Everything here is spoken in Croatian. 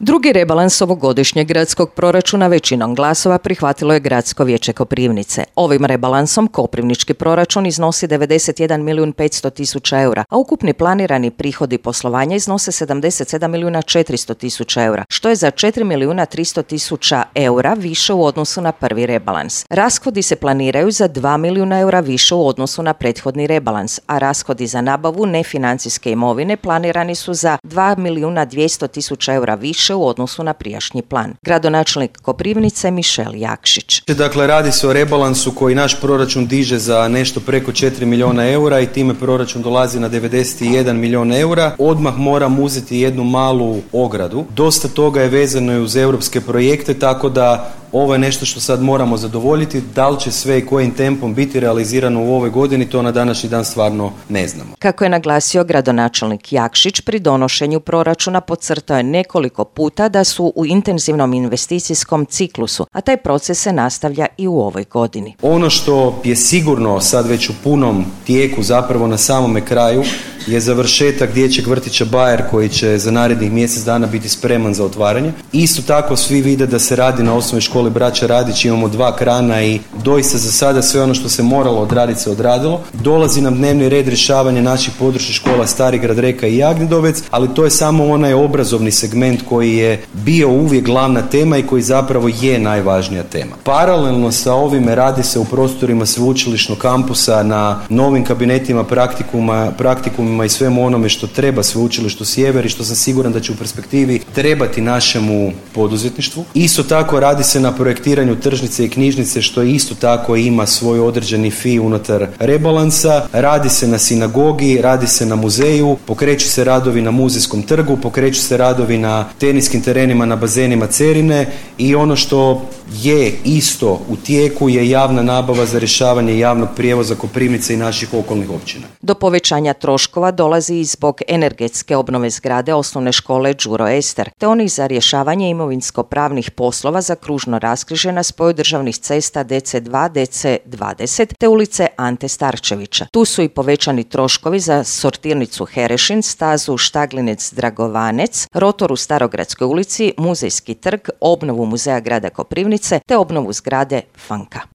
Drugi rebalans ovogodišnjeg gradskog proračuna većinom glasova prihvatilo je Gradsko vijeće Koprivnice. Ovim rebalansom koprivnički proračun iznosi 91.500.000 eura, a ukupni planirani prihodi poslovanja iznose 77.400.000 eura, što je za 4.300.000 eura više u odnosu na prvi rebalans. Rashodi se planiraju za 2 milijuna eura više u odnosu na prethodni rebalans, a rashodi za nabavu nefinancijske imovine planirani su za 2.200.000 eura više u odnosu na prijašnji plan. Gradonačelnik Koprivnice Mišel Jakšić. Dakle, radi se o rebalansu koji naš proračun diže za nešto preko 4 milijuna eura i time proračun dolazi na 91 milijun eura. Odmah moram uzeti jednu malu ogradu. Dosta toga je vezano i uz europske projekte, tako da ovo je nešto što sad moramo zadovoljiti. Da li će sve i kojim tempom biti realizirano u ovoj godini, to na današnji dan stvarno ne znamo. Kako je naglasio gradonačelnik Jakšić, pri donošenju proračuna podcrtao je nekoliko puta da su u intenzivnom investicijskom ciklusu, a taj proces se nastavlja i u ovoj godini. Ono što je sigurno sad već u punom tijeku, zapravo na samome kraju, je završetak dječjeg vrtića Bajer koji će za narednih mjesec dana biti spreman za otvaranje. Isto tako svi vide da se radi na osnovnoj školi Braća Radić, imamo 2 krana i doista za sada sve ono što se moralo odraditi se odradilo. Dolazi nam dnevni red rješavanja naših područnih škola Starigrad, Reka i Jagnjedovec, ali to je samo onaj obrazovni segment koji je bio uvijek glavna tema i koji zapravo je najvažnija tema. Paralelno sa ovime radi se u prostorima sveučilišnog kampusa na novim kabinetima praktikumima i svemu onome što treba Sveučilištu Sjever i što sam siguran da će u perspektivi trebati našemu poduzetništvu. Isto tako radi se na projektiranju tržnice i knjižnice, što isto tako ima svoj određeni fi unutar rebalansa. Radi se na sinagogi, radi se na muzeju, pokreću se radovi na Muzejskom trgu, pokreću se radovi na teniskim terenima na bazenima Cerine i ono što je isto u tijeku je javna nabava za rješavanje javnog prijevoza Koprivnice i naših okolnih općina. Do povećanja troškova dolazi i zbog energetske obnove zgrade osnovne škole Đuro Ester, te onih za rješavanje imovinsko-pravnih poslova za kružno raskrižje na spoju državnih cesta DC2, DC20 te ulice Ante Starčevića. Tu su i povećani troškovi za sortirnicu Herešin, stazu Štaglinec-Dragovanec, rotor u Starogradskoj ulici, Muzejski trg, obnovu muzeja grada Koprivnice te obnovu zgrade Fanka.